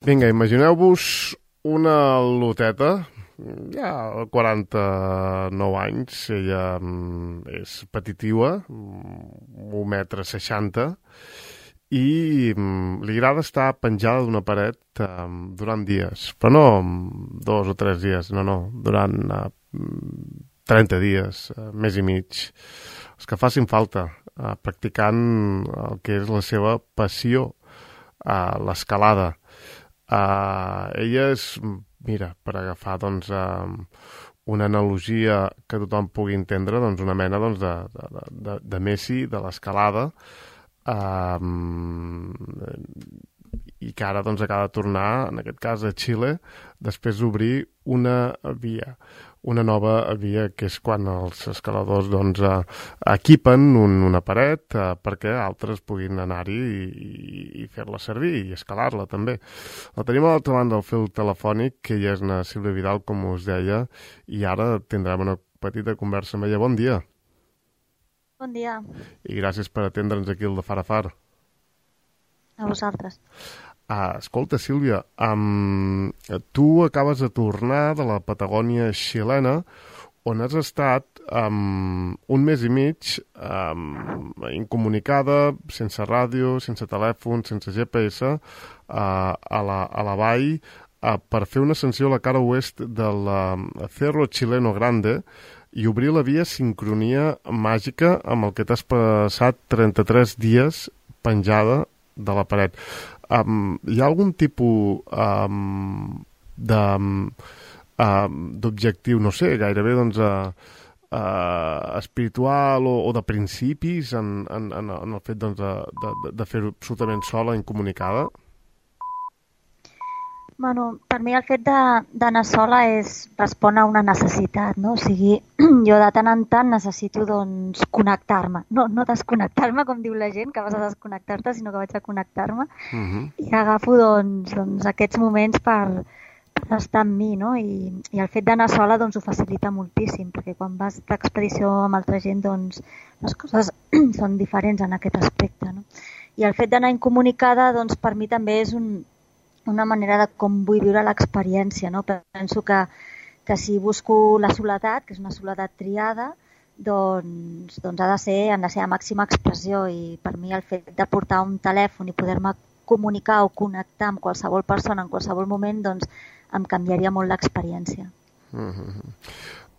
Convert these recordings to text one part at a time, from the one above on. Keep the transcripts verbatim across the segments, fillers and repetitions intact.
Vinga, imagineu-vos una loteta, ja quaranta-nou anys, ella mm, és petitiva, mm, un metre seixanta, i mm, li agrada estar penjada d'una paret mm, durant dies, però no mm, dos o tres dies, no, no, durant uh, trenta dies, uh, mes i mig, els que facin falta, uh, practicant el que és la seva passió, uh, l'escalada. Uh, ella és, mira, per agafar doncs, uh, una analogia que tothom pugui entendre, doncs, una mena doncs, de, de, de, de Messi, de l'escalada, uh, i que ara doncs, acaba de tornar, en aquest cas a Xile, després d'obrir una via. Una nova via, que és quan els escaladors doncs, eh, equipen un, una paret eh, perquè altres puguin anar-hi i, i, i fer-la servir i escalar-la també. La tenim a l'altra banda del fil telefònic, que ella és na Sílvia Vidal, com us deia, i ara tindrem una petita conversa amb ella. Bon dia. Bon dia. I gràcies per atendre'ns aquí al de Far a Far. A vosaltres. Ah, escolta, Sílvia, um, tu acabes de tornar de la Patagònia xilena, on has estat um, un mes i mig um, incomunicada, sense ràdio, sense telèfon, sense G P S, uh, a, la, a la vall, uh, per fer una ascensió a la cara oest del uh, Cerro Chileno Grande i obrir la via Sincronia Màgica, amb el que t'has passat trenta-tres dies penjada de la paret. Um, hi ha algun tipus um, de, um, d'objectiu, no sé, gairebé doncs, uh, uh, espiritual o, o de principis en, en, en el fet doncs, de, de, de fer-ho absolutament sola, incomunicada? Bueno, per mi el fet de- d'anar sola és respon a una necessitat, no? O sigui, jo de tant en tant necessito doncs connectar-me. No, no desconnectar-me, com diu la gent, que vas a desconnectar-te, sinó que vaig a connectar-me. Uh -huh. I agafo doncs, doncs aquests moments per, per estar amb mi, no? I, i el fet d'anar sola doncs ho facilita moltíssim, perquè quan vas d'expedició amb altra gent doncs les coses són diferents en aquest aspecte, no? I el fet d'anar incomunicada doncs per mi també és un, una manera de com vull viure l'experiència, no? Penso que, que si busco la soledat, que és una soledat triada, doncs, doncs ha de ser en la seva màxima expressió, i per mi el fet de portar un telèfon i poder-me comunicar o connectar amb qualsevol persona en qualsevol moment, doncs em canviaria molt l'experiència. Uh -huh.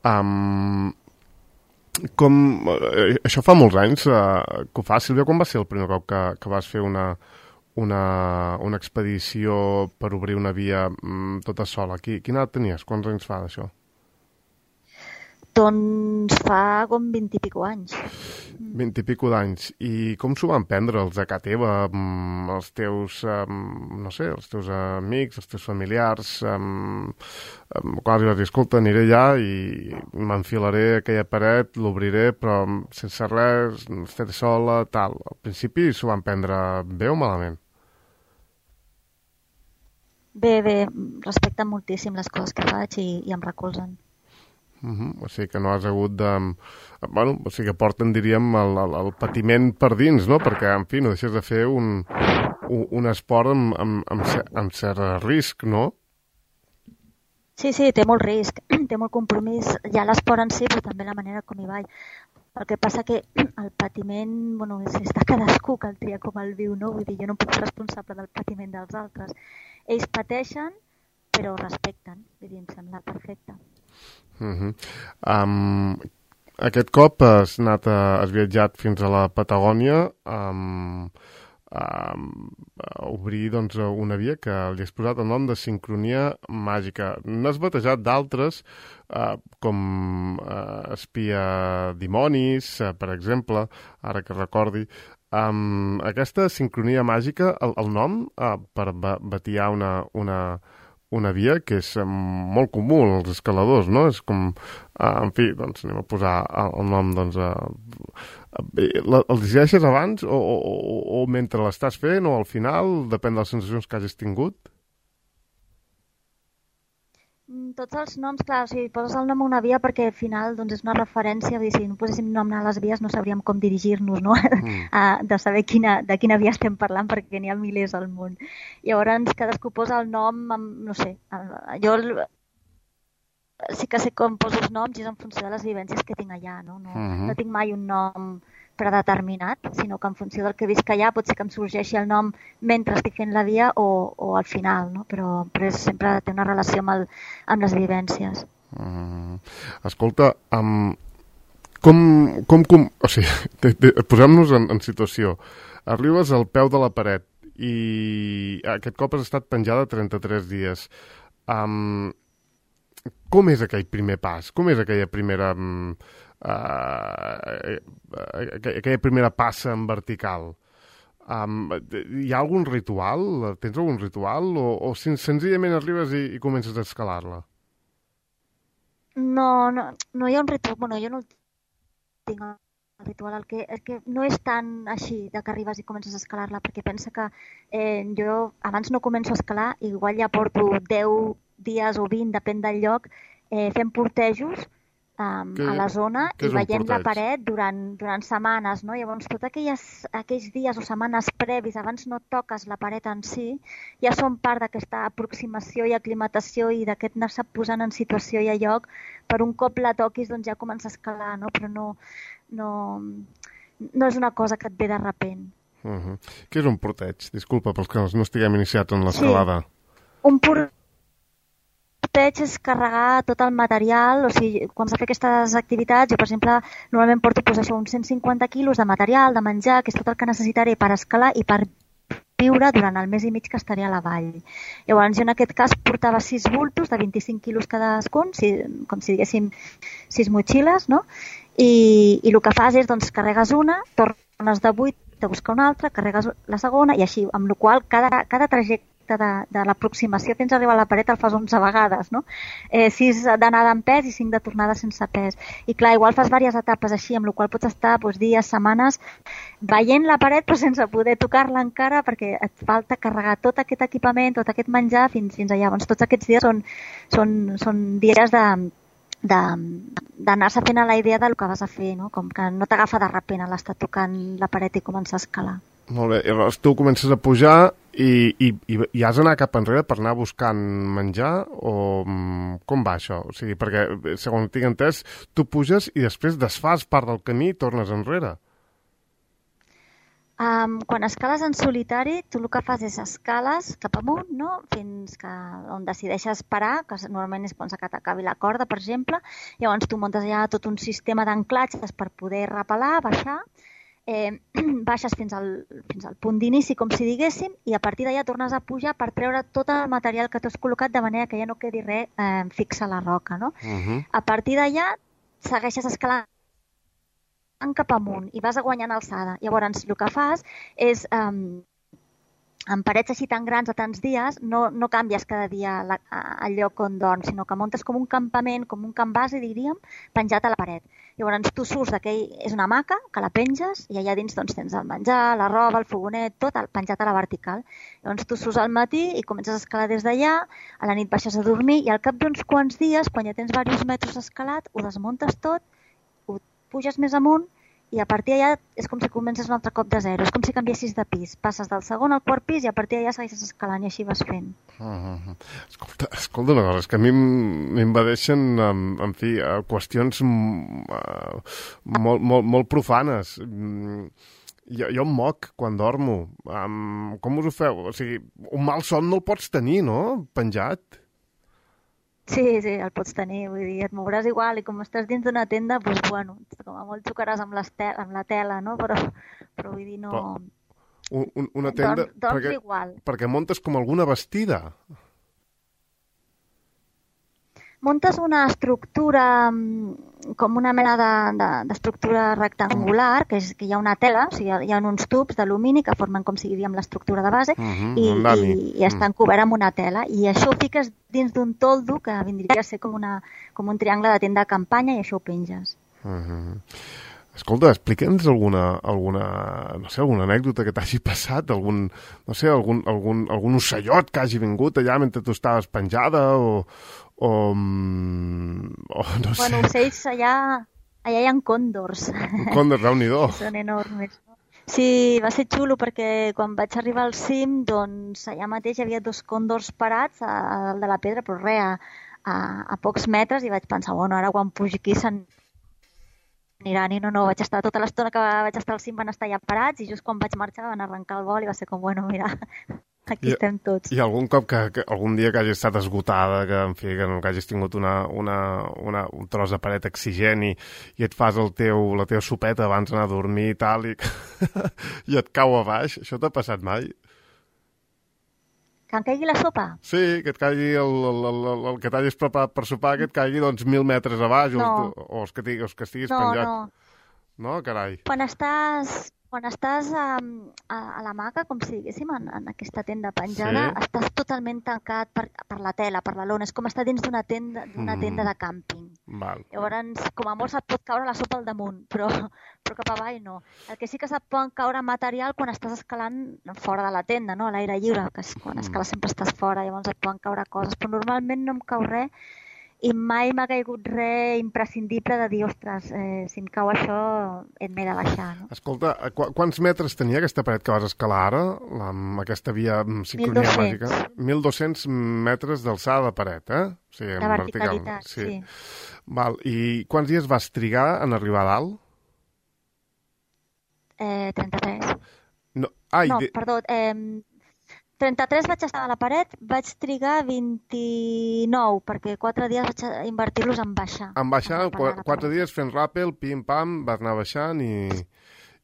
um, com, eh, això fa molts anys eh, que ho fa, Sílvia. Quan va ser el primer cop que, que vas fer una, una, una expedició per obrir una via mm, tota sola? Qui, quina edat tenies? Quants anys fa d'això? Doncs fa com vint i pico anys. Vint i pico d'anys. I com s'ho van prendre els de casa teva, mm, els teus, um, no sé, els teus amics, els teus familiars? Um, um, quan els vas dir, escolta, aniré allà i m'enfilaré a aquella paret, l'obriré, però sense res, estaré sola, tal. Al principi s'ho van prendre bé o malament? Bé, bé, respecten moltíssim les coses que faig i, i em recolzen. Uh -huh. O sigui que no has hagut de... Bueno, o sigui que porten, diríem, el, el, el patiment per dins, no? Perquè, en fi, no deixes de fer un, un, un esport amb, amb, amb, cer amb cert risc, no? Sí, sí, té molt risc, té molt compromís, ja l'esport en si, però també la manera com hi vaig. El que passa que el patiment, bueno, és, és de cadascú que el tria com el viu, no? Vull dir, jo no puc ser responsable del patiment dels altres. Ells pateixen, però respecten, vull dir, em sembla perfecte. Uh -huh. um, aquest cop has anat a, has viatjat fins a la Patagònia um, um, a obrir doncs, una via que li has posat el nom de Sincronia Màgica. N'has batejat d'altres uh, com uh, Espia Dimonis, uh, per exemple, ara que recordi. Um, aquesta Sincronia Màgica, el, el nom uh, per batiar una, una una via que és molt comú als escaladors, no? És com, uh, en fi, doncs anem a posar el, el nom, doncs, uh, uh, el decideixes abans o, o, o, o mentre l'estàs fent o al final, depèn de les sensacions que hagis tingut? Tots els noms, clar, o sigui, poses el nom a una via perquè al final doncs, és una referència, vull dir, si no poséssim nom a les vies no sabríem com dirigir-nos, no? Mm. de saber quina, de quina via estem parlant perquè n'hi ha milers al món. Llavors cadascú posa el nom, amb, no sé, jo sí que sé com poso els noms i és en funció de les vivències que tinc allà, no? No, mm-hmm. no tinc mai un nom predeterminat, sinó que en funció del que visc allà pot ser que em sorgeixi el nom mentre estic fent la via o, o al final, no? Però, però és, sempre té una relació amb, el, amb les vivències. Mm. Escolta, um, com, com, com... O sigui, posem-nos en, en situació. Arribes al peu de la paret i aquest cop has estat penjada trenta-tres dies. Um, com és aquell primer pas? Com és aquella primera... Um, Uh, aquella primera passa en vertical? Um, hi ha algun ritual? Tens algun ritual? O, o senzillament arribes i, i comences a escalar-la? No, no, no hi ha un ritual. Bueno, jo no el tinc el ritual. El que, el que no és tan així de que arribes i comences a escalar-la, perquè pensa que eh, jo abans no començo a escalar, igual ja porto deu dies o vint, depèn del lloc, eh, fent portejos Um, que, a la zona i veient la paret durant, durant setmanes, no? Llavors, tots aquelles, aquells dies o setmanes previs, abans no toques la paret en si, ja són part d'aquesta aproximació i aclimatació i d'aquest anar-se posant en situació i a lloc, per un cop la toquis doncs ja comença a escalar, no? Però no, no, no és una cosa que et ve de repent. Uh-huh. Què és un porteig? Disculpa, pels que no estiguem iniciats en l'escalada. Sí, un porteig porteig és carregar tot el material, o sigui, quan s'ha fet aquestes activitats, jo, per exemple, normalment porto pues, això, uns cent cinquanta quilos de material, de menjar, que és tot el que necessitaré per escalar i per viure durant el mes i mig que estaré a la vall. Llavors, jo en aquest cas portava sis bultos de vint-i-cinc quilos cadascun, si, com si diguéssim sis motxilles, no? I, i el que fas és, doncs, carregues una, tornes de vuit a buscar una altra, carregues la segona i així, amb la qual cada, cada trajecte de, de l'aproximació fins a arribar a la paret el fas onze vegades, no? Eh, sis d'anada amb pes i cinc de tornada sense pes. I clar, igual fas diverses etapes així, amb la qual pots estar doncs, dies, setmanes, veient la paret però sense poder tocar-la encara perquè et falta carregar tot aquest equipament, tot aquest menjar fins, fins allà. Doncs tots aquests dies són, són, són dies de d'anar-se fent a la idea del que vas a fer, no? Com que no t'agafa de repent a l'estar tocant la paret i començar a escalar. Molt bé, i llavors tu comences a pujar i, i, i has d'anar cap enrere per anar buscant menjar o com va això? O sigui, perquè, segons tinc entès, tu puges i després desfas part del camí i tornes enrere. Um, quan escales en solitari, tu el que fas és escales cap amunt, no? Fins que on decideixes parar, que normalment és quan s'acabi la corda, per exemple. Llavors tu muntes ja tot un sistema d'anclatges per poder repelar, baixar. Eh, baixes fins al, fins al punt d'inici, com si diguéssim, i a partir d'allà tornes a pujar per treure tot el material que t'has col·locat de manera que ja no quedi res eh, fixa a la roca, no? Uh-huh. A partir d'allà segueixes escalant cap amunt i vas guanyant alçada. Llavors, el que fas és, um, en parets així tan grans a tants dies, no, no canvies cada dia la, el lloc on dorms, sinó que muntes com un campament, com un camp base, diríem, penjat a la paret. Llavors, tu surts d'aquell... És una hamaca que la penges i allà dins doncs, tens el menjar, la roba, el fogonet, tot el penjat a la vertical. Llavors, tu surts al matí i comences a escalar des d'allà, a la nit baixes a dormir i al cap d'uns quants dies, quan ja tens diversos metres escalat, ho desmuntes tot, ho puges més amunt i a partir d'allà és com si comences un altre cop de zero. És com si canviessis de pis. Passes del segon al quart pis i a partir d'allà segueixes escalant i així vas fent. Uh-huh. Escolta, escolta una cosa, és que a mi m'invadeixen, en, en fi, qüestions uh, molt, molt, molt profanes. Jo, jo em moc quan dormo. Um, com us ho feu? O sigui, un mal son no el pots tenir, no? Penjat. Sí, sí, el pots tenir, vull dir, et mouràs igual i com estàs dins d'una tenda, doncs, bueno, com a molt xocaràs amb, tel amb la tela, no? Però, però vull dir, no... Però un, una tenda... Dorms, dorms perquè, igual. Perquè muntes com alguna vestida. Muntes una estructura, com una mena d'estructura de, de, rectangular, que, és, que hi ha una tela, o sigui, hi ha uns tubs d'alumini que formen com si diríem l'estructura de base, uh-huh, i, i, i estan coberts amb una tela. I això ho fiques dins d'un toldo que vindria a ser com, una, com un triangle de tenda de campanya i això ho penges. Uh-huh. Escolta, explica'ns alguna, alguna, no sé, alguna anècdota que t'hagi passat, algun, no sé, algun, algun, algun ocellot que hagi vingut allà mentre tu estaves penjada o, o, o no sé. Bueno, ocells allà, allà hi ha còndors. Còndors, Déu-n'hi-do. Són enormes. Sí, va ser xulo perquè quan vaig arribar al cim, doncs allà mateix hi havia dos còndors parats a, a dalt de la pedra, però res, a, a, a pocs metres, i vaig pensar, bueno, ara quan pugi aquí se'n aniran, i no, no, vaig estar tota l'estona que vaig estar al cim van estar allà parats, i just quan vaig marxar van arrencar el vol i va ser com, bueno, mira, aquí I, estem tots. I algun cop, que, que algun dia que hagis estat esgotada, que en fi, que, no, que hagis tingut una, una, una, un tros de paret exigent i, i et fas el teu, la teva sopeta abans d'anar a dormir i tal, i, i et cau a baix, això t'ha passat mai? Que em caigui la sopa? Sí, que et caigui el, el, el, el, el que t'hagis preparat per sopar, que et caigui doncs mil metres a baix, no. o, o, els que, els que estiguis no, penjat. No, no. Carai. Quan estàs, quan estàs a, a, a l'hamaca, com si diguéssim, en, en aquesta tenda penjada, sí. Estàs totalment tancat per, per la tela, per la lona. És com estar dins d'una tenda, d'una mm. tenda de càmping. Val. Llavors, com a molt se't pot caure la sopa al damunt, però, però cap avall no. El que sí que se't pot caure material quan estàs escalant fora de la tenda, no? A l'aire lliure, que és, quan escales sempre estàs fora, llavors et poden caure coses. Però normalment no em cau res i mai m'ha caigut res imprescindible de dir, ostres, eh, si em cau això et m'he de baixar. No? Escolta, qu quants metres tenia aquesta paret que vas escalar ara, la, amb aquesta via sincronia màgica? mil dos-cents metres d'alçada de paret, eh? O sigui, de verticalitat, sí. sí. Val. I quants dies vas trigar en arribar a dalt? Eh, trenta-tres. No, Ai, no de... perdó, eh, trenta-tres vaig estar a la paret, vaig trigar vint-i-nou, perquè quatre dies vaig invertir-los en baixar. En baixar, en qu quatre dies fent ràpel, pim-pam, vas anar baixant i,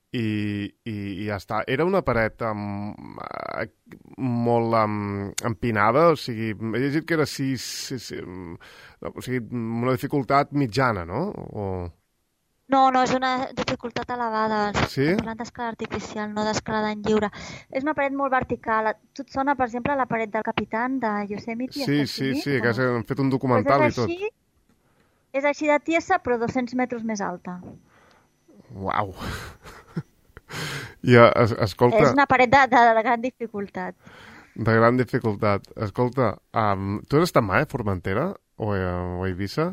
i, i, i ja està. Era una paret amb, molt amb, empinada, o sigui, he llegit que era sis, sis, o sigui, una dificultat mitjana, no? O... No, no, és una dificultat elevada. Sí? Parlant d'escalada artificial, no d'escalada en lliure. És una paret molt vertical. Tu et sona, per exemple, la paret del Capitán de Yosemite? Sí, sí, sí, que han fet un documental pues i tot. Així, és així de tiesa, però dos-cents metres més alta. Uau! I, es, escolta... És una paret de, de, de gran dificultat. De gran dificultat. Escolta, um, tu has estat mai a Formentera o a, o a Eivissa?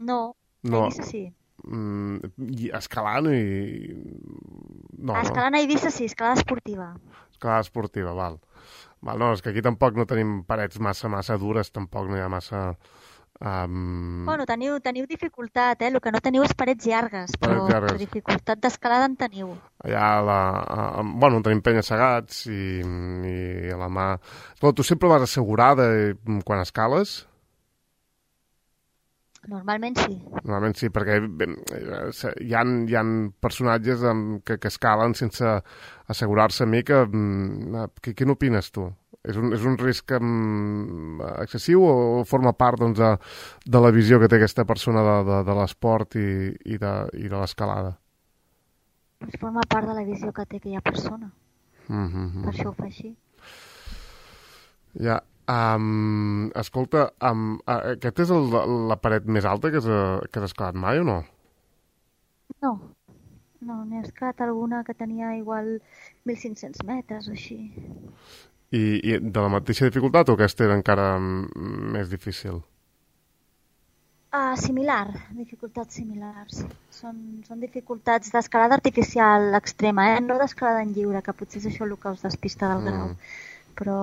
No, no. a Eivissa sí. Mm, i escalant i... No, escalant no. A Eivissa sí, escalada esportiva. Escalada esportiva, val. val. No, és que aquí tampoc no tenim parets massa, massa dures, tampoc no hi ha massa... Um... Bueno, teniu, teniu dificultat, eh? El que no teniu és parets llargues, però parets llargues. dificultat d'escalada en teniu. Allà, la, a, bueno, tenim penya-segats i, i a la mà... Però tu sempre vas assegurada quan escales? Normalment sí. Normalment sí, perquè bé, hi ha, hi ha personatges que, que escalen sense assegurar-se a mi que... que què n'opines tu? És un, és un risc um, excessiu o forma part doncs, de, de la visió que té aquesta persona de, de, de l'esport i, i de, i de l'escalada? Forma part de la visió que té aquella persona. Mm-hmm. Per això ho fa així. Ja. Um, escolta, um, uh, aquesta és el, la paret més alta que has, que has escalat mai o no? No, no, n'he escalat alguna que tenia igual mil cinc-cents metres o així. I, I de la mateixa dificultat o aquesta era encara més difícil? Uh, similar, dificultats similars. Són, són dificultats d'escalada artificial extrema, eh? No d'escalada en lliure, que potser és això el que us despista del grau. Mm. Però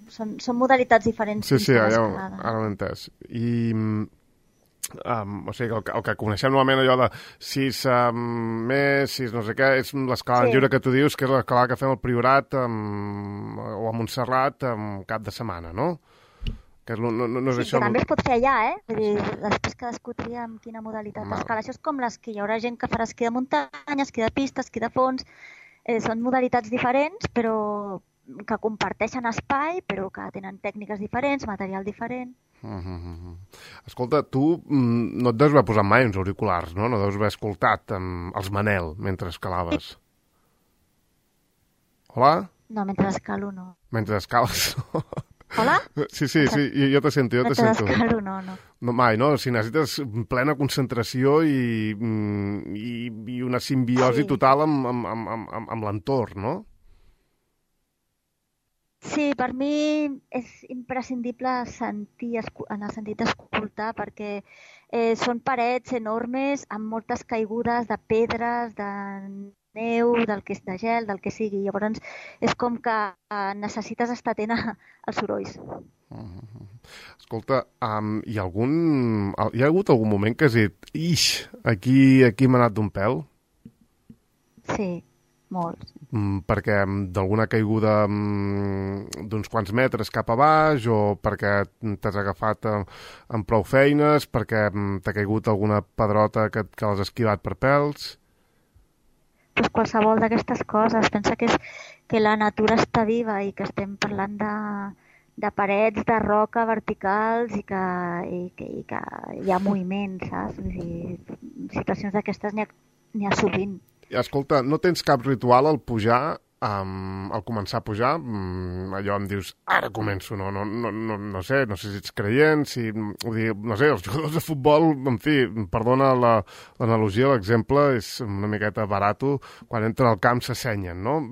són, són modalitats diferents. Sí, sí, ja, ara l'he entès. I, um, o sigui, el, el que coneixem normalment allò de sis um, més, sis no sé què, és l'escalada sí. lliure que tu dius, que és l'escalada que fem al Priorat um, o a Montserrat um, cap de setmana, no? Que no, no, no és sí, això... que també es pot fer allà, eh? Vull dir, després cadascú tria amb quina modalitat d'escala. Això és com les que hi haurà gent que farà esquí de muntanya, esquí de pista, esquí de fons... Eh, són modalitats diferents, però que comparteixen espai, però que tenen tècniques diferents, material diferent. Uh -huh. Escolta, tu no et deus haver posat mai uns auriculars, no? No deus haver escoltat um, els Manel mentre escalaves. Hola? No, mentre escalo no. Mentre escales no. Hola? Sí, sí, sí, jo te sento, jo no te sento. Descaro, no, no. No, mai, no? Si necessites plena concentració i, i, i una simbiosi Sí. total amb, amb, amb, amb, amb l'entorn, no? Sí, per mi és imprescindible sentir, en el sentit d'escoltar, perquè eh, són parets enormes amb moltes caigudes de pedres, de neu, del que és de gel, del que sigui. Llavors és com que necessites estar atent als sorolls. Uh-huh. Escolta, um, hi ha algun... hi ha hagut algun moment que has dit ix, aquí, aquí m'ha anat d'un pèl? Sí, molts. Mm, perquè d'alguna caiguda mm, d'uns quants metres cap a baix o perquè t'has agafat amb, amb prou feines, perquè mm, t'ha caigut alguna pedrota que, que l'has esquivat per pèls? Pues qualsevol d'aquestes coses. Pensa que, és, que la natura està viva i que estem parlant de, de parets de roca verticals i que, i que, i que hi ha moviment, saps? Vull dir, situacions d'aquestes n'hi ha, n'hi ha sovint. Escolta, no tens cap ritual al pujar, um, al començar a pujar? Um, allò em dius, ara començo, no, no, no, no, no sé, no sé si ets creient, si, vull dir, no sé, els jugadors de futbol, en fi, perdona la, l'analogia, l'exemple és una miqueta barato, quan entren al camp s'assenyen, no?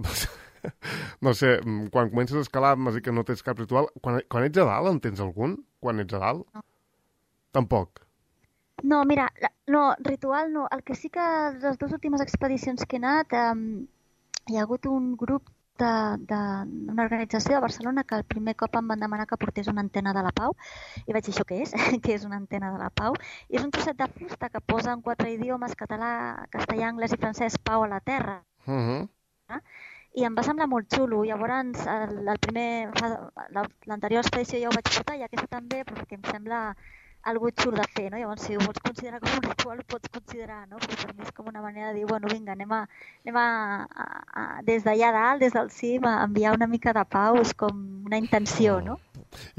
No sé, quan comences a escalar, m'has dit que no tens cap ritual. Quan, quan ets a dalt, en tens algun? Quan ets a dalt? No. No, Tampoc. mira, no, ritual no. El que sí que les dues últimes expedicions que he anat, eh, hi ha hagut un grup d'una organització de Barcelona que el primer cop em van demanar que portés una antena de la Pau i vaig dir, això què és? Què és una antena de la Pau? I és un trosset de fusta que posa en quatre idiomes, català, castellà, anglès i francès, Pau a la terra. Uh-huh. I em va semblar molt xulo. Llavors, el, el primer, l'anterior expedició ja ho vaig portar i aquesta també, perquè em sembla algo xulo de fer, no? Llavors, si ho vols considerar com un ritual, ho pots considerar, no? Però per mi és com una manera de dir, bueno, vinga, anem, a, anem a, a, a, des d'allà dalt, des del cim, a enviar una mica de pau, és com una intenció, no?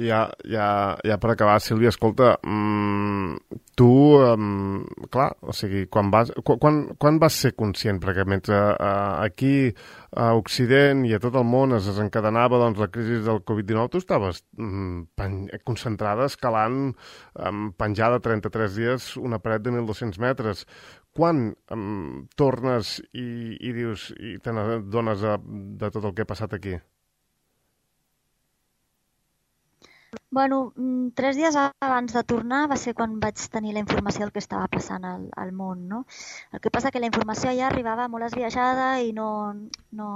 I ja, ja, ja per acabar, Sílvia, escolta, mmm, tu, um, clar, o sigui, quan vas, quan, quan vas ser conscient? Perquè mentre uh, aquí a Occident i a tot el món es desencadenava doncs, la crisi del covid dinou, tu estaves um, pen, concentrada escalant um, penjada trenta-tres dies una paret de mil dos-cents metres. Quan um, tornes i, i dius i te n'adones de, de tot el que ha passat aquí? Bueno, tres dies abans de tornar va ser quan vaig tenir la informació del que estava passant al, al món, no? El que passa que la informació ja arribava molt esbiaixada i no, no,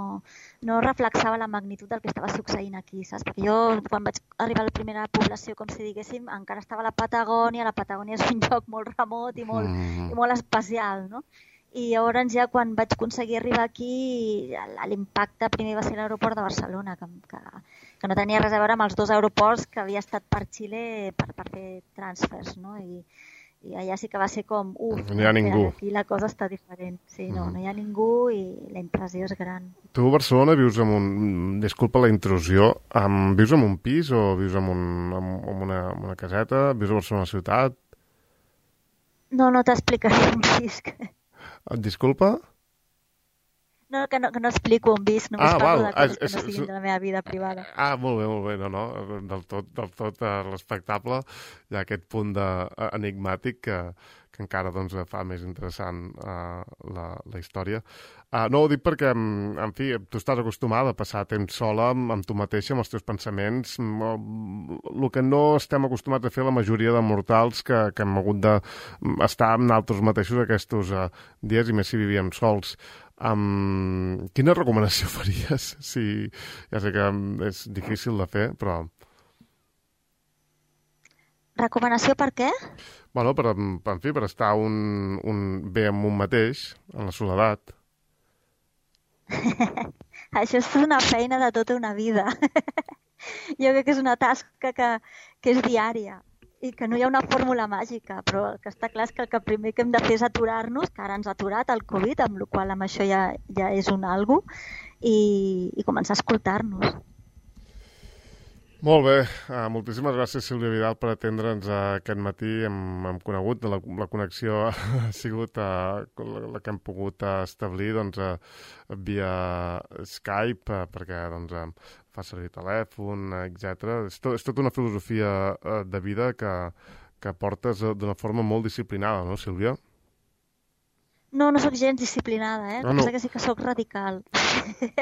no reflexava la magnitud del que estava succeint aquí, saps? Perquè jo, quan vaig arribar a la primera població, com si diguéssim, encara estava a la Patagònia, la Patagònia és un lloc molt remot i molt, mm. i molt especial, no? I llavors ja quan vaig aconseguir arribar aquí, l'impacte primer va ser l'aeroport de Barcelona, que, que, que no tenia res a veure amb els dos aeroports que havia estat per Xile per, per fer transfers, no? I, i allà sí que va ser com, uf, no hi ha ningú. Aquí la cosa està diferent. Sí, no, mm. no hi ha ningú i la impressió és gran. Tu a Barcelona vius en un... Disculpa la intrusió. Um, vius en un pis o vius en, un, en una, en una caseta? Vius a Barcelona ciutat? No, no t'explicaré on visc. Disculpa? No, que no, que no explico on visc, només ah, parlo val. de coses ah, que no siguin de la meva vida privada. Ah, molt bé, molt bé, no, no, del tot, del tot uh, respectable. Hi ha aquest punt de, uh, enigmàtic que, que encara doncs, fa més interessant uh, la, la història. Uh, no, ho dic perquè, en fi, tu estàs acostumada a passar temps sola amb, amb tu mateixa, amb els teus pensaments. El que no estem acostumats a fer la majoria de mortals que, que hem hagut d'estar amb nosaltres mateixos aquests uh, dies, i més si vivíem sols. Um, quina recomanació faries? Si, ja sé que és difícil de fer, però... Recomanació per què? Bueno, per, per, en fi, per estar un, un, bé amb un mateix, en la soledat. Això és una feina de tota una vida. Jo crec que és una tasca que, que és diària i que no hi ha una fórmula màgica, però el que està clar és que el que primer que hem de fer és aturar-nos, que ara ens ha aturat el Covid, amb la qual amb això ja, ja és un algo, i, i començar a escoltar-nos. Molt bé, uh, moltíssimes gràcies Sílvia Vidal per atendre'ns uh, aquest matí. Hem, hem conegut, la, la connexió ha sigut uh, la, la que hem pogut uh, establir doncs, uh, via Skype, uh, perquè doncs, uh, fa servir telèfon, etcètera. És, to, és tota una filosofia uh, de vida que, que portes uh, d'una forma molt disciplinada, no, Sílvia? No, no sóc gens disciplinada, eh? No, El que no. passa que sí que sóc radical.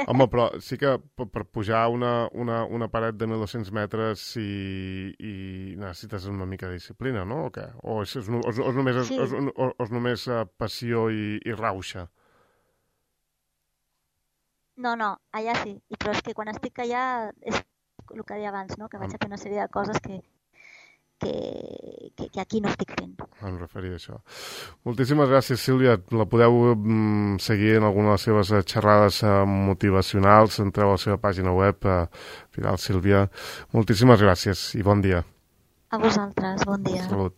Home, però sí que per, per pujar una, una, una paret de mil dos-cents metres i, i necessites una mica de disciplina, no? O què? O és, és, és, és només, Sí. és, és, és només uh, passió i, i rauxa? No, no, allà sí. I però és que quan estic allà és el que deia abans, no? Que vaig a fer una sèrie de coses que, que, que, que aquí no estic fent. Em referia a això. Moltíssimes gràcies, Sílvia. La podeu mm, seguir en alguna de les seves eh, xerrades eh, motivacionals. Entreu a la seva pàgina web, eh, Vidal Sílvia. Moltíssimes gràcies i bon dia. A vosaltres, bon dia. Salut.